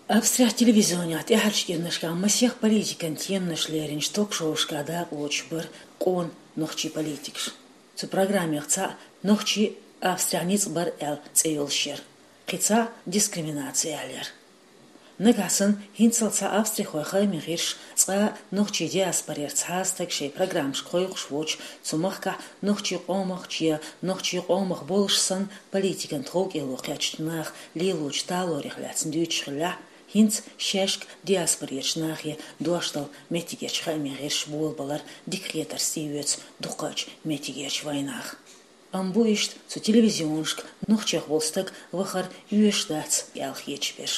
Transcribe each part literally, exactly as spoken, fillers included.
Австрехь телевизионехь тӀаьхьарчу кӀирнашкахь масех политикан теманаш леринчу ток-шоушкахь дакъалоцуш бара къона нохчийн политикаш. Цу программех цхьаъ «Нохчий Австрехь ницкъ бар» аьлла цӀе йолуш яра, кхин цхьаъ «Дискриминаци» аьлла яра. Нагахь санна хӀинццалц цхьа австрихойн хаамийн гӀирс цкъа а нохчийн диаспорера цхьа а стаг шайн программашка кхойкхуш воцуш, цу махкахь нохчийн къомах я нохчийн къомах болуш санна политикан тховкӀело кхаьчначу наха лелочу талорех лаьцна дуьйцуш хиллехь, хӀинца шаьшка диаспорерчу нахе дош дала меттигерчу хаамийн гӀирсаша болабалар дика хетарца тӀеоьцу дукхачу меттигерчу вайнаха. Амма бу иштта цу телевизионашка нохчех волу стаг вахар оьшуш дац аьлла хеташ берш.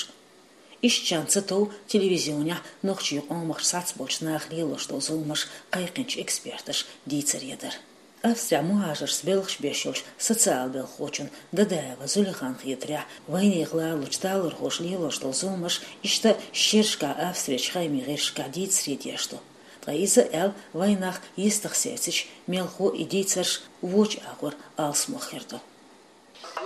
Иштта чан ца тов телевизионехь нохчийн къомах сацболчу наха лелош долу зуламаш кхайкхинчу эксперташа дийцаре дара. Австрехь мухӀажаршца белхаш беш йолчу социал-белхахочун Дадаева Зулиханан хетарехь, вайнехан лалучу талорхоша лелош долу зуламаш иштта шерашкахь Австрерчу хаамийн гӀирсашкахь дийцаре деш ду. Ткъа иза аьлла, вайнах йистах сецича, мелхо а и дийцарш вочу агӀор алсамох хир ду.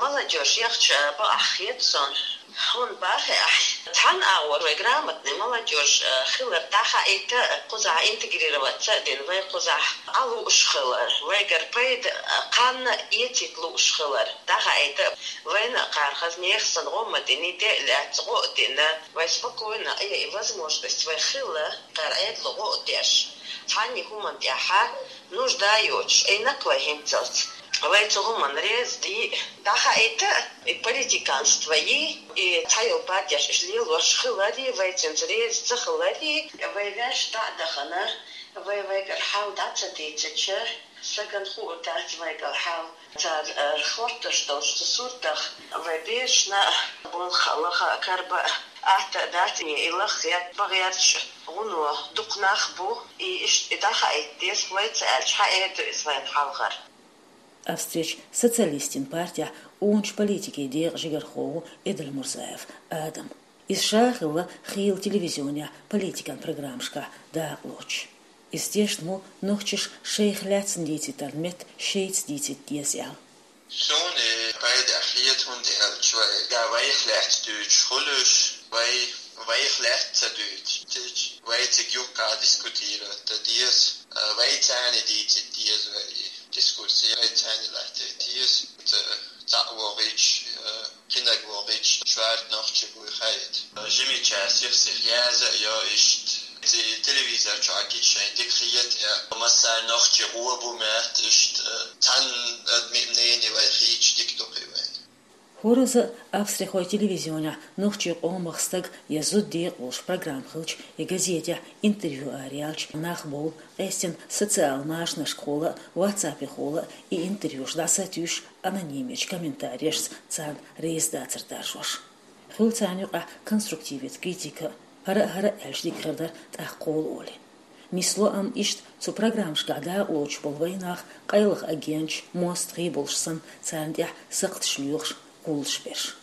Молодёжь яхча бакъахь хета суна. ХӀунда бахе ахь? Цхьана агӀор вай грамотный молодёжь хилар дӀахаийта, кхузахь интегрироваться а дина, вай кхузахь Ӏа лууш хилар, вайгара пайда кханна эцийта лууш хилар дӀахаийта, вайна а кхара хаза нехан санна гӀо ма дина, де а лаьцна гӀо а дина, вай спокойно, и, и возможность вай хилла, кхара Ӏедало гӀо а деш, цхьанне хӀуманна тӀехь нужда йоцуш, Ӏийнакх вай хӀинццалц. Вай цу хӀуманна реза дий, дӀахаийта, и политиканство йий, и цхьайолу партеш иштта лелош хиларе, вай цуьнца реза ца хиларе, вай ваьш дӀа а дахана, вай вайгара хьал дӀа ца дийцича, стагана хуур дац вайгара хьал. Цара, э, хӀоттош долчу цу суртах вай берашна а болх а, лаха а, карба а атта а дац, и лахъян бан гӀерташ гӀуно дукха нах бу, и иштта и дӀахаийта деза, вай ца аьлча, хьан эр ду иза вайна хьалхара? Австрерчу Социалистийн партехь къоначу политикийн декъан жигархо ву Эдельмурзаев Адам. Иза ша а хилла хийла телевизионехь политикан программашкахь дакъалоцуш. Иза тешна ву нохчаша шайх лаьцна дийцийтарна метта шайца дийцийта деза аьлла. Суна и пайда хета, хӀунда аьлча вай, я вайх лаьцна дуьйцуш хуьлуш, вай вайх лаьцна ца дуьйцуш, вай цига юккъехь дискутировать дан деза, а, вай царна дийцийта деза, вай дискуссия вай царна латтийта деза. Ца, цхьаъ вогӀийча, а, кхинаг вогӀийча, шорта нохчий буй хаийта. Жимича сих-сиха яза а йо иштта. Зи телевизор чохь гича шайн дика хета, я массарна нохчий гӀо бу моьтту иштта, цхьана адамийн мнение вай хийча дика ду кхин вайна. ХӀоразза а австрихойн телевизионехь нохчийн къомах стаг я зуда декъалуш программа хилча, я газетехь интервью араяьлча, нах бовла, къаьстина социал машанашкахула а, ватсапехула а и интервьюш дӀасатуьйсуш, анонимечу комментарийшца царна реза дацар даржош. Хуьлу царна юкъахь конструктиве критика а, хӀара а, хӀара а аьлча дика хир дара тӀаккха кхола олий. Нисло амма иштта цу программашкахь дакъалоцуш болу вайнах къайлаха агенташ, мостагӀий болуш санна, царна тӀехь сакхташ лоьхуш, кхуллуш берш.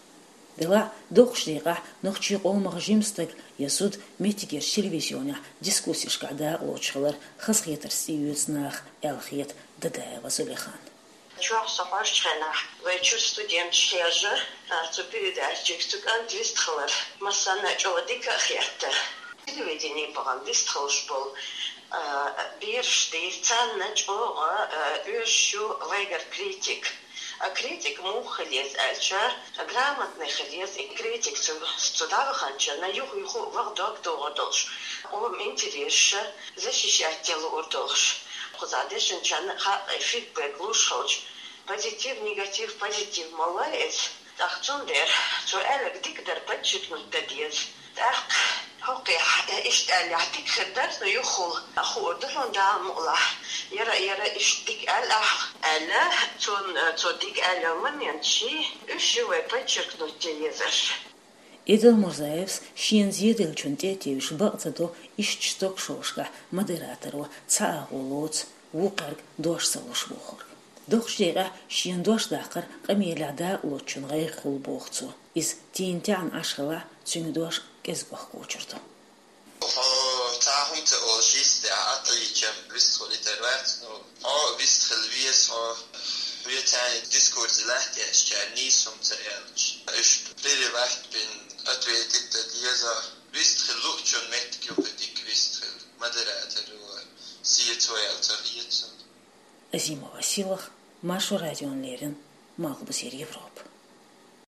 Делахь а, доккхачу декъехь нохчийн къомах жима стаг я зуда меттигерчу телевизионехь дискуссешкахь дакъалоцуш хилар хазахетарца тӀеоьцу наха аьлла хета Дадаева Зулихана. Чохь со кхоччу хенахь вай чуьра студенташ хержа, а, цу передачиг цу кӀанта вистхилар массанна а чӀогӀа дика а хетта. Телевидени бахана вистхуьлуш болу, а, бераш дийр, царна чӀогӀа, а, оьшуш ю вайгара критик. А критик муха хила еза аьлча, грамотный хила еза, и критик цу, цу дӀаваханчарна юха-юха а ваха дог догӀур долуш, къоман интересаш защищать ян луур долуш. Кхузахь дешначарна а хаьа, фидбэк луш хилча, позитив, негатив, позитив ма ло иза. ТӀаккха цундела цо аьлларг дика дара подчеркнуть дан деза. ТӀаккха хӀокхехь иштта аьллехь дика хир дара, но юххул хуур ду хьуна Дала мукъалахь. Яра, яра иштта дика аьлла ахь, аьлла, цунна цо дика аьлла моменташ, уьш ю вай подчеркнуть дан езарш. Эдельмурзаевс шена зеделлачунна тӀе а тевжаш бакъ ца до иштта ток-шоушкахь модераторо цхьа агӀо лоцу, вукхаьрга дош ца луш бохург. Доккхачу декъехь шена дош даккхар къамелехь дакъалоцучун гӀайгӀа хуьлу боху цо. Иза тийна-таьӀна Ӏаш хилахь, цуьнан дош кӀезиг бахкочур ду. Хьо цхьа хӀума ца олуш йистехь, Ӏатайича вистхуьлуьйтур вац, ну, хьо вистхила веза, хьо хьоьца дискуссий латтош, цара нийса хӀума ца аьлча. Уьш переварить бина, Ответить да деза. Вистхил лучун меттик юкъа дик вистхил. Модератор ва. Сиет ваял цахиет сон. Азимова Силах, Маршо радион лерин, Малхбузера Европа.